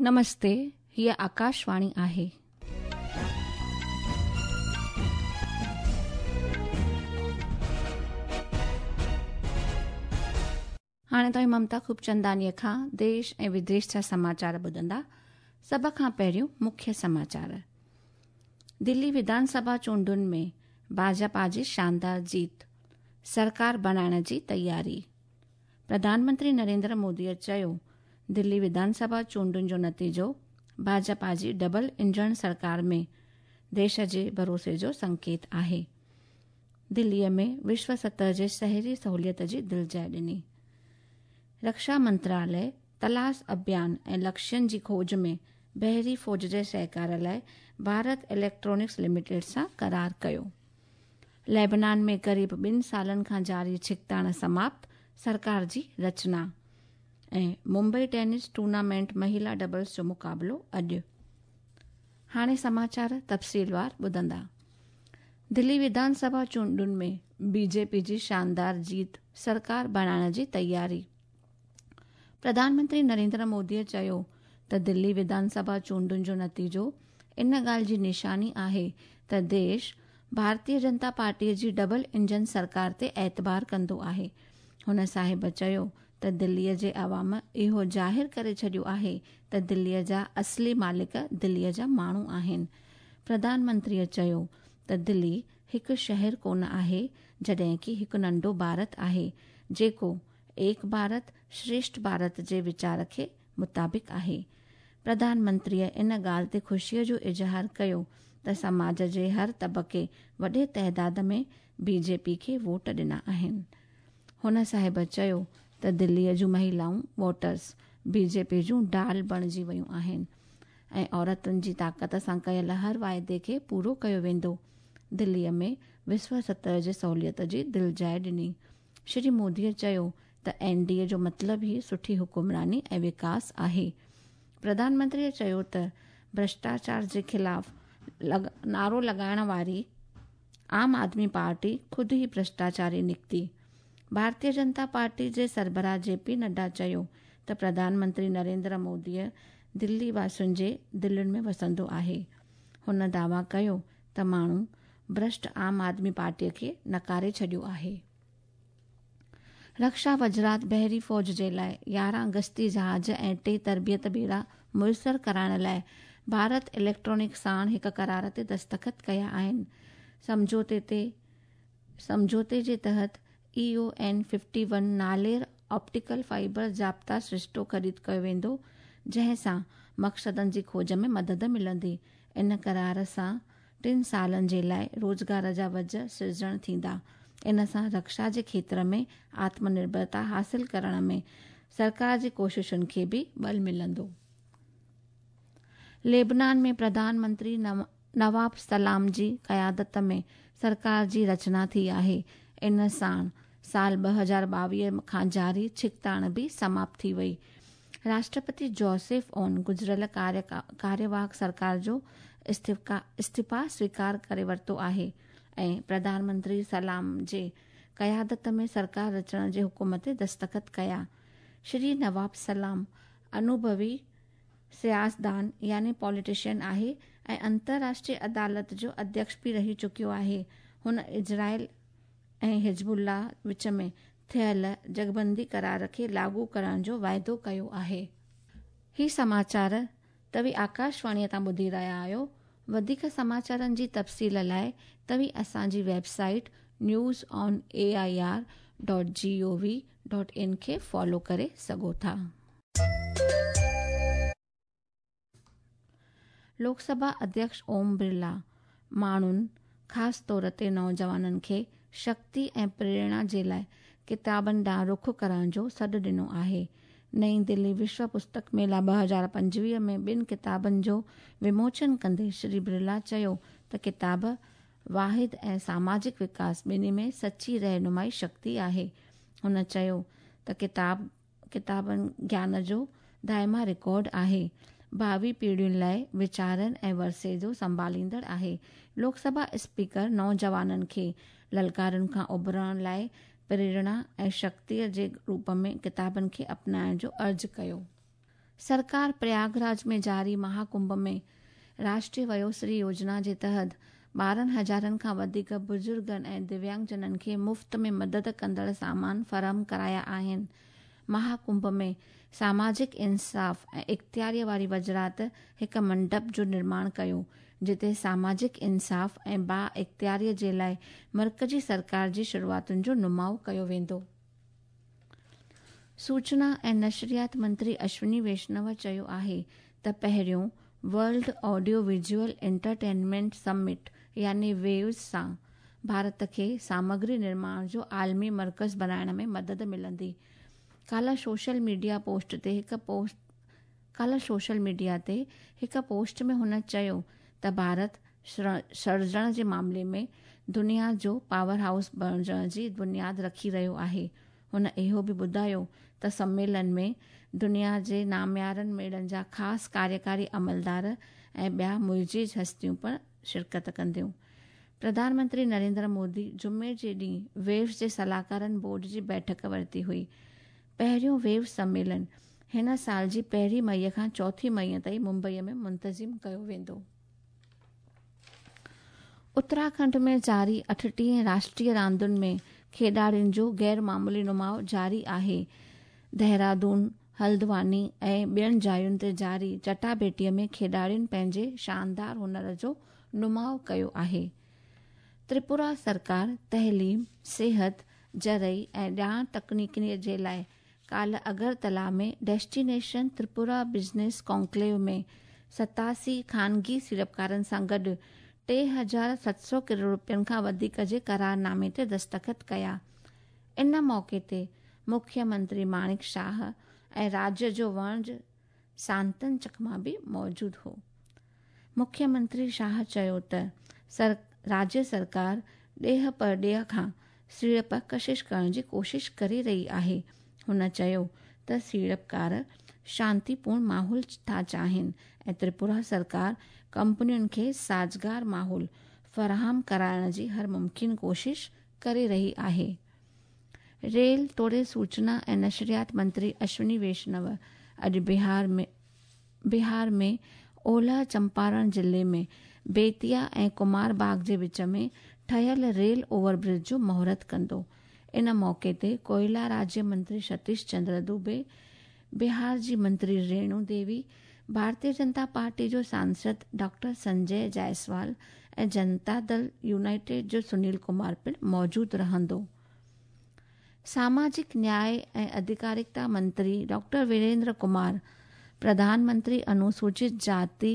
نمستي، هيء آڪاشواڻي آهي. هاڻي توهين ممتا خوبچندانيء کان ديش ۽ وديش جا سماچار ٻڌندا. سڀ کان پهريون مکيه سماچار. دلي وڌان سڀا چونڊن ۾ ڀاجپا جي شاندار جيت، سرڪار بڻائڻ جي تياري. پرڌان منتري نريندر موديء چيو، دلي وڌان سڀا چونڊن جو نتيجو ڀاجپا جي ڊبل انجڻ سرڪار ۾ ديش جي ڀروسي جو سنڪيت آهي. دليء ۾ وشو سطح جي شهري سهوليت جي دلجاء ڏني. رڪشا منتراليه تلاش اڀيان ۽ لڪشين جي کوج ۾ بحري فوج جي سهڪار لاء ڀارت اليڪٽرانڪس لميٽيڊ سان قرار ڪيو. ليبنان ۾ قريب ٻن سالن کان جاري ڇڪتاڻ سماپت، سرڪار جي رچنا ۽ ممبئي ٽينس ٽورنامينٽ مهيلا ڊبلز جو مقابلو اڄ. هاڻي سماچار تفصيلوار ٻڌندا. دلي وڌان سڀا چونڊن ۾ بي جي پي جي شاندار جيت، سرڪار بڻائڻ جي تياري. پرڌان منتري نريندر مودي چيو ته دلي وڌان سڀا چونڊن جو نتيجو ان ڳالهه جي نشاني آهي ته ديش ڀارتيه جنتا پارٽي جي ڊبل انجن سرڪار تي اعتبار ڪندو آهي. هن صاحب چيو ته دلي جي عوام اهو ظاهر ڪري ڇڏيو آهي ته دلي جا اصلي مالڪ دلي جا ماڻهو آهن. پرڌان منتريء چيو ته دلي هڪ شهر ڪونه آهي جڏهن ڪي هڪ ننڍو ڀارت آهي جيڪو ايڪ ڀارت شريشٺ ڀارت جي ويچار کي مطابق آهي. پرڌان منتريء ان ڳالهه تي خوشيء جو اظهار ڪيو ته سماج جي هر طبقي وڏي تعداد ۾ بي جي پي کي ووٽ ڏنا آهن. هن صاحب چيو ته دليء جون مهيلائون ووٽرز بي جي پي جون ڍال بڻجي ويون آهن ۽ عورتن جي طاقت سان ڪيل هر واعدي کي پورو ڪيو ويندو. دليء ۾ وشو سطح جي سهوليت جي دلجاء ڏني. شري موديء چيو ته اين ڊي اي جو مطلب ئي سٺي حڪمراني ۽ وڪاس آهي. پرڌان منتريء چيو ته ڀرشٽاچار جي خلاف نعرو لڳائڻ واري عام آدمي پارٽي خود ئي ڀرشٽاچاري نڪتي. ڀارتيه جنتا پارٽي جي سربراهه جي پي نڊا چيو ته پرڌان منتري نريندر موديء دلي واسين جي دلين ۾ وسندو آهي. هن دعويٰ ڪيو ته ماڻهو ڀرشٽ عام آدمي پارٽيء کي نڪاري ڇڏيو آهي. رڪشا وزارت بحري فوج جي لاء 11 گشتي جهاز ۽ ٽي تربيت ٻيڙا ميسر ڪرائڻ لاء ڀارت اليڪٽرانڪس ساڻ هڪ قرار تي دستخط ڪيا آهن. سمجهوتي تي سمجهوتي جي تحت A O N fifty one نالير آپٽيڪل فائبر ضابطا سرشتو خريد ڪيو ويندو جنهن سان مقصدن جي کوج ۾ مدد ملندي. ان قرار سان ٽن سالن جي لاء روزگار جا وجهه سرجڻ ٿيندا. ان سان رڪشا جي کيتر ۾ آتم نرڀرتا حاصل ڪرڻ ۾ سرڪار جي ڪوششن کي به ٻل ملندو. ليبنان ۾ پرڌان منتري نواب سلام جي قيادت ۾ سرڪار جي رچنا ٿي آهي. ان ساڻ سال 2022 کان جاري ڇڪتاڻ به سماپت ٿي وئي. راشٽرپتي جوزف اون گذريل ڪاريواهڪ سرڪار جو استعيفا سويڪار ڪري ورتو آهي ۽ پرڌان منتري سلام جي قيادت ۾ سرڪار رچڻ جي حڪم تي دستخط ڪيا. شري نواب سلام انوڀوي سياسدان يعني پاليٽيشن آهي ۽ انترراشٽري عدالت جو اڌيڪش به رهي چڪيو آهي. هن اسرائيل ۽ حزب الله وچ ۾ ٿيل جنگبندي قرار کي لاڳو ڪرڻ جو واعدو ڪيو آهي. هي سماچار توهين آڪاشواڻيء تان ٻڌي رهيا آهيو. وڌيڪ سماچارن جي تفصيل لاء توهين اسان جي website news on A I R dot G O V dot in کي فالو ڪري سگهو ٿا. لوڪ سڀا اڌيڪش اوم برلا ماڻهن خاص طور تي نوجوانن کي شڪتي ۽ پريرڻا جي لاء ڪتابن ڏانهن رخ ڪرڻ جو سڏ ڏنو آهي. نئين دلي وشو پستڪ ميلا 2025 ۾ ٻن ڪتابن جو وموچن ڪندي شري برلا چيو ته ڪتاب واحد ۽ ساماجڪ وڪاس ٻنهي ۾ سچي رهنمائي شڪتي آهي. هن چيو ته ڪتاب ڪتابن گيان جو دائما رڪارڊ آهي. ڀاوي پيڙهين لاء ويچارن ۽ ورثي جو سنڀاليندڙ آهي. لوڪ سڀا اسپيڪر نوجوانن کي للڪارن کان اڀرڻ لاء پريرڻا ۽ شڪتيء جي روپ ۾ ڪتابن کي اپنائڻ جو عرض ڪيو. सरकार प्रयागराज में जारी महाकुंभ में राष्ट्रीय वयोश्री योजना जे तहत 12 हज़ारनि खां वधीक बुज़ुर्गनि ऐं दिव्यांगजननि खे मुफ़्त में मदद कंदड़ सामान फराहम कराया आहिनि। महाकुंभ में सामाजिक इंसाफ़ ऐं इख़्तियारीअ वारी वज़ारत हिकु मंडप जो निर्माण कयो, जिते सामाजिक इंसाफ़ ऐं बा इख़्तियारीअ जे लाइ मर्कज़ी सरकार जी शुरूआतुनि जो नुमाउ कयो वेंदो। सूचना ऐं नशरियात मंत्री अश्विनी वैष्णव चयो आहे त पहिरियों world audio visual entertainment summit यानी वेव्स सां भारत खे सामग्री निर्माण जो आलमी मर्कज़ बणाइण में मदद मिलंदी। काल्ह सोशल मीडिया ते हिकु पोस्ट में हुन चयो त भारत सृजण जे मामले में दुनिया जो पावर हाउस बणिजण जी बुनियाद रखी रहियो आहे। हुन इहो बि ॿुधायो त सम्मेलन में दुनिया जे नामयारनि मेड़नि जा ख़ासि कार्यकारी अमलदार ऐं ॿिया मुइज़िज़ हस्तियूं पिणु शिरकत कंदियूं। प्रधानमंत्री नरेंद्र मोदी जुमे जे ॾींहुं वेव्स जे सलाहकारनि बोर्ड जी बैठक वरिती हुई। पहिरियों वेव्स सम्मेलन हिन साल जी 1 मई खां 4 मई ताईं मुंबईअ में मुंतज़िम कयो वेंदो। उत्तराखंड में जारी 38 राष्ट्रीय रांदुनि में खेॾाड़ियुनि जो गैर मामूली नुमाउ जारी आहे। देहरादून, हल्द्वानी ऐं ॿियनि जायुनि ते जारी चटाभेटीअ में खेॾाड़ियुनि पंहिंजे शानदार हुनर जो नुमाउ कयो आहे। त्रिपुरा सरकार तइलीम, सिहत, ज़रई ऐं ॼाण तकनीकीअ जे लाइ काल्ह अगरतला में डेस्टिनेशन त्रिपुरा बिज़नेस कॉन्क्लेव में 87 ख़ानगी सीड़पकारनि सां गॾु 3700 करोड़ रुपयनि खां वधीक जे करारनामे ते दस्तख़त कया। इन मौक़े ते मुख्यमंत्री माणिक शाह ऐं राज्य जो वणज सांतन चकमा बि मौजूदु हो। मुख्यमंत्री शाह चयो त राज्य सरकार ॾेह परॾेह खां सीड़प कशिश करण जी कोशिश करे रही आहे। हुन चयो त सीड़पकार शांतिपूर्ण माहौल था चाहिनि ऐं त्रिपुरा सरकार कंपनियुनि खे साज़गार माहौल फराहम कराइण जी हर मुमकिन कोशिश करे रही आहे। रेल तोड़े सूचना ऐं नशरियात मंत्री अश्विनी वैष्णव अॼु बिहार में ओलह चंपारण ज़िले में बेतिया ऐं कुमार बाग जे विच में ठहियल रेल ओवरब्रिज जो मुहूर्त कंदो। इन मौक़े ते कोयला राज्य मंत्री सतीश चंद्र दुबे, बिहार जी मंत्री रेणु देवी, भारतीय जनता पार्टी जो सांसद डॉक्टर संजय जायसवाल ऐं जनता दल यूनाइटेड जो सुनील कुमार पिणु मौजूदु रहंदो। सामाजिक न्याय ऐं अधिकारिता मंत्री डॉक्टर वीरेंद्र कुमार प्रधानमंत्री अनुसूचित जाति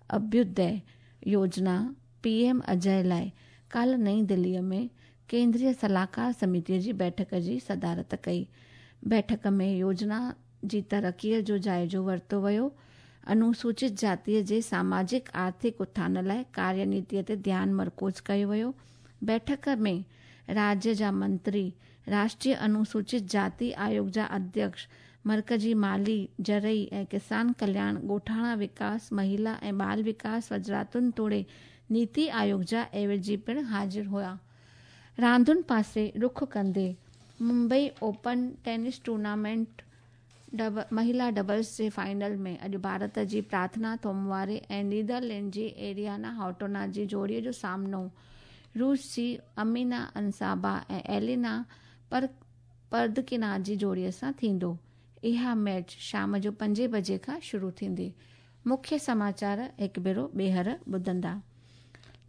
अभ्युदय योजना पीएम अजय लाइ काल्ह नई दिल्लीअ में केंद्रीय सलाहकार समितीअ जी बैठक जी सदारत कई। बैठक में योजना जी तरक़ीअ जो जाइज़ो वरितो वियो। अनुसूचित जातीअ जे सामाजिक आर्थिक उत्थान लाइ कार्यनीतीअ ते ध्यानु मरकूज़ कयो वियो। बैठक में राज्य जा मंत्री, राष्ट्रीय अनुसूचित जाति आयोग जा अध्यक्ष, मर्कज़ी माली, ज़रई ऐं किसान कल्याण, ॻोठाणा विकास, महिला ऐं बाल विकास वज़ारतुनि तोड़े नीति आयोग जा एवज़ी पिणु हाज़िर हुआ। रांदुनि पासे रुख कंदे मुंबई ओपन टेनिस टूर्नामेंट महिला डबल्स जे फाइनल में अॼु भारत जी प्रार्थना थोमवारे ऐं नीदरलैंड जी एरियाना हाटोना जी जोड़ीअ जो सामनो रूस जी अमीना अंसाबा ऐं एलिना परदकिना जी जोड़ीअ सां थींदो। इहा मैच शाम जो 5 बजे खां शुरू थींदी। मुख्य समाचार हिकु भेरो ॿीहर ॿुधंदा।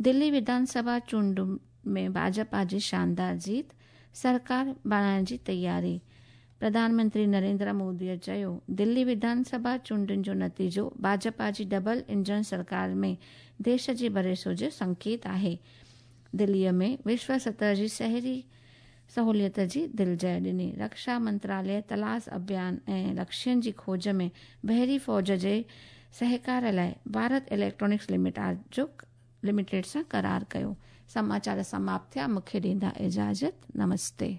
दिल्ली विधानसभा चूंड में भाजपा जी शानदार जीत, सरकार बणाइण जी तयारी। प्रधानमंत्री नरेंद्र मोदीअ चयो, दिल्ली विधानसभा चूंडुनि जो नतीजो भाजपा जी डबल इंजन सरकार में देश जे भरोसो जो संकेत आहे। दिल्लीअ में विश्व सतह जी शहरी सहूलियत जी दिलजय ॾिनी। रक्षा मंत्रालय तलाश अभियान ऐं लक्ष्यनि जी खोज में बहरी फ़ौज जे सहकार लाइ भारत इलेक्ट्रॉनिक्स लिमिटेड सां करार कयो। समाचार समाप्त थिया। मूंखे ॾींदा इजाज़त। नमस्ते।